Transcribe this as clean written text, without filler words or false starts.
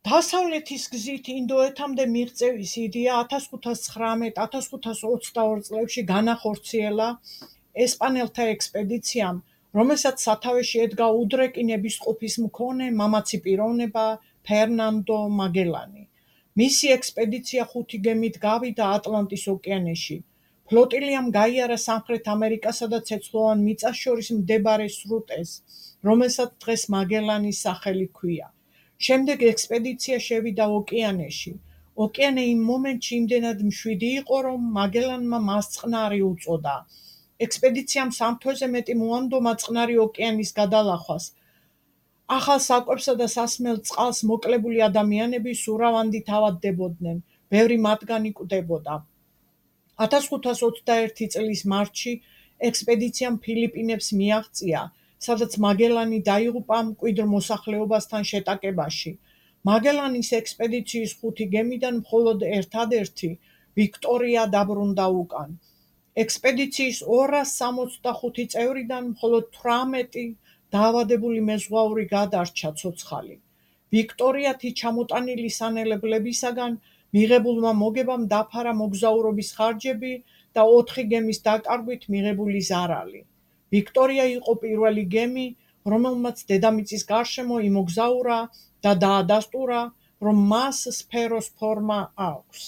დასავლეთის გზით ინდოეთამდე მიღწევის იდეა 1519-1522 წლებში განახორციელა ესპანელთა ექსპედიციამ, რომელსაც სათავეში ედგა უდრეკი ნებისყოფის მქონე მამაცი პიროვნება ფერნანდო მაგელანი. მისი ექსპედიცია 5 გემით გავიდა ატლანტის ოკეანეში. ფლოტილიამ გაიარა სამხრეთ ამერიკასა და ცეცხლოვან მიწას შორის მდებარე სრუტეს, რომელსაც დღეს მაგელანის სახელი ჰქვია. შემდეგ ექსპედიცია შევიდა ოკეანეში. ოკეანე იმ მომენტში იმდენად მშვიდი იყო, რომ მაგელანმა მას წყნარი უწოდა. ექსპედიციამ 3 თვეზე მეტი მოანდომა წყნარი ოკეანის გადალახვას. ახალ საკვებსა და სასმელ წყალს მოკლებული ადამიანები სურავანდით ავადდებოდნენ, ბევრი მათგანი კვდებოდა. 1521 წლის მარტში ექსპედიციამ ფილიპინებს მიაღწია, სადაც მაგელანი დაიღუპა მკვიდრ მოსახლეობასთან შეტაკებაში. მაგელანის ექსპედიციის 5 გემიდან მხოლოდ ერთადერთი ვიქტორია დაბრუნდა უკან. ექსპედიციის 265 წევრიდან მხოლოდ 18 დაავადებული მეზღვაური გადარჩა ცოცხალი. ვიქტორიათი ჩამოტანილი სანელებლებისაგან მიღებულმა მოგებამ დაფარა მოგზაურობის ხარჯები და 4 გემის დაკარგვით მიღებული ზარალი. ვიქტორია იყო პირველი გემი, რომელმაც დედამიწის გარშემო იმოგზაურა და დაადასტურა, რომ მას სფეროს ფორმა აქვს.